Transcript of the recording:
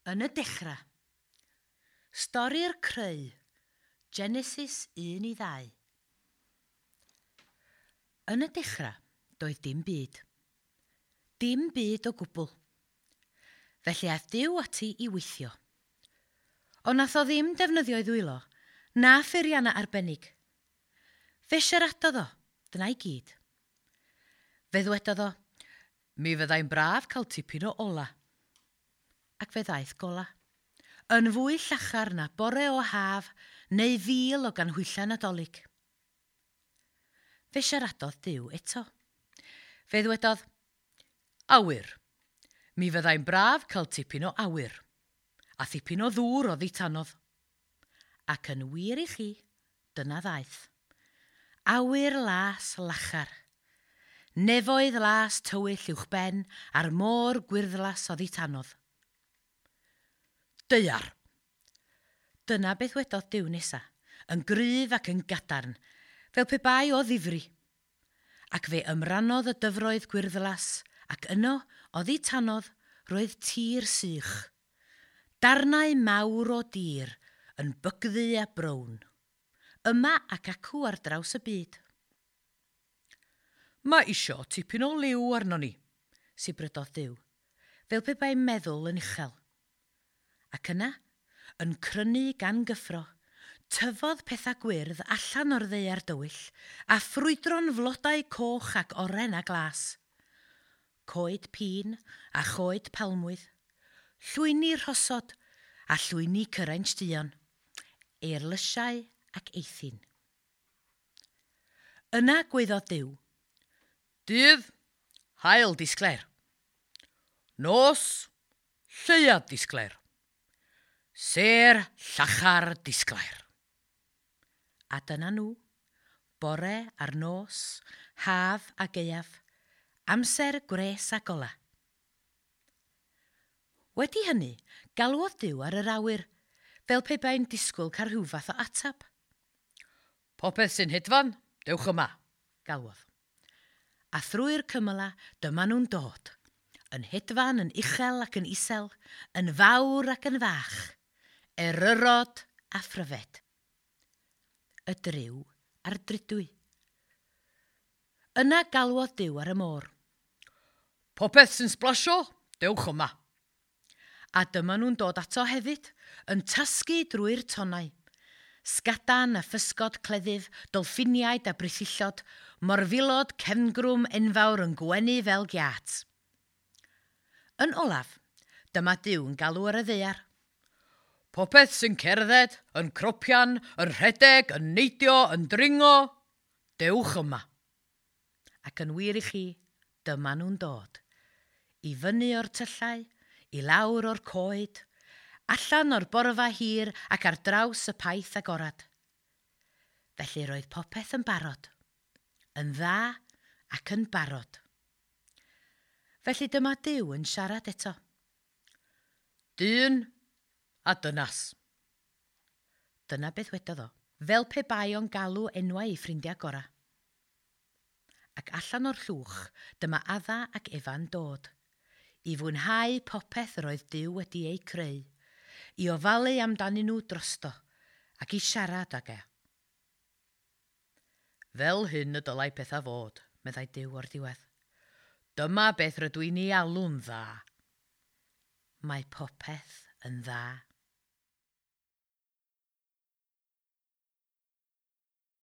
Yn y dechrau. Stori'r creu. Genesis 1 i 2. Yn y dechrau, doedd dim byd. Dim byd o gwbl. Felly aeth Duw ati i weithio. Ond nath o ddim defnyddio'i ddwylo, na pheiriannau arbennig. Fe siaradodd o, dyna i gyd. Fe ddwedodd o, mi fyddai'n braf cael tipyn o ola. Ac fe ddaeth gola. Yn fwy llachar na bore o haf neu fil o ganhwyllau Nadolig. Fe siaradodd Duw eto. Fe ddwedodd, awyr. Mi fyddai'n braf cael tipyn o awyr, a thipyn o ddŵr oddi tanodd. Ac yn wir i chi, dyna ddaeth. Awyr las lachar. Nefoedd las tywyll uwchben a'r môr gwyrddlas oddi tanodd. Daear. Dyna beth wedodd Duw nesa, yn gryf ac yn gadarn, fel pe bai o ddifri. Ac fe ymrannodd y dyfroedd gwyrddlas, ac yno, oddi tanodd, roedd tir sych. Darnau mawr o dir, yn bygddu a brown. Yma ac acw ar draws y byd. Mae isio tipyn o liw arno ni, sibrydodd Duw, fel pe bai'n meddwl yn uchel. Ac yna, yn crynu gan gyffro, tyfodd pethau gwyrdd allan o'r ddaear dywyll a ffrwydro'n flodau coch ac oren a glas. Coed pîn a choed palmwydd, llwyni rhosod a llwyni cyraint duon, eirlysiau ac eithin. Yna gwaeddodd Duw, Dydd, haul disglair. Nos, lleuad disglair. Sêr llachar disglair. A dyna nhw, bore a'r nos, haf a gaeaf, amser gwres a gola. Wedi hynny, galwodd Duw ar yr awyr, fel pe bai'n disgwyl cael rhyw fath o atab. Popeth sy'n hedfan, dewch yma, galwodd. A thrwy'r cymyla, dyma nhw'n dod, yn hedfan yn uchel ac yn isel, yn fawr ac yn fach, eryrod a phryfed. Y dryw a'r drudwy. Yna galwodd Duw ar y môr. Popeth sy'n sblasio, dewch yma. A dyma nhw'n dod ato hefyd, yn tasgu drwy'r tonnau. Sgadan a physgod cleddyf, dolffiniaid a brithyllod, morfilod cefngrwm enfawr yn gwenu fel giât. Yn olaf, dyma Duw yn galw ar y ddaear. Popeth sy'n cerdded, yn cropian, yn rhedeg, yn neidio, yn dringo, dewch yma. Ac yn wir i chi, dyma nhw'n dod. I fyny o'r tyllau, i lawr o'r coed, allan o'r borfa hir ac ar draws y paith agorad. Felly roedd popeth yn barod, yn dda ac yn barod. Felly dyma Duw yn siarad eto. Dyn a dynas. Dyna beth wedodd o, fel pe bai o'n galw enwau ei ffrindiau gorau. Ac allan o'r llwch, dyma Adda ac Efa'n dod, i fwynhau popeth yr oedd Duw wedi eu creu, i ofalu amdanyn nhw drosto, ac i siarad ag e. Fel hyn y dylai pethau fod, meddai Duw o'r diwedd. Dyma beth rydw i'n ei alw'n dda. Mae popeth yn dda.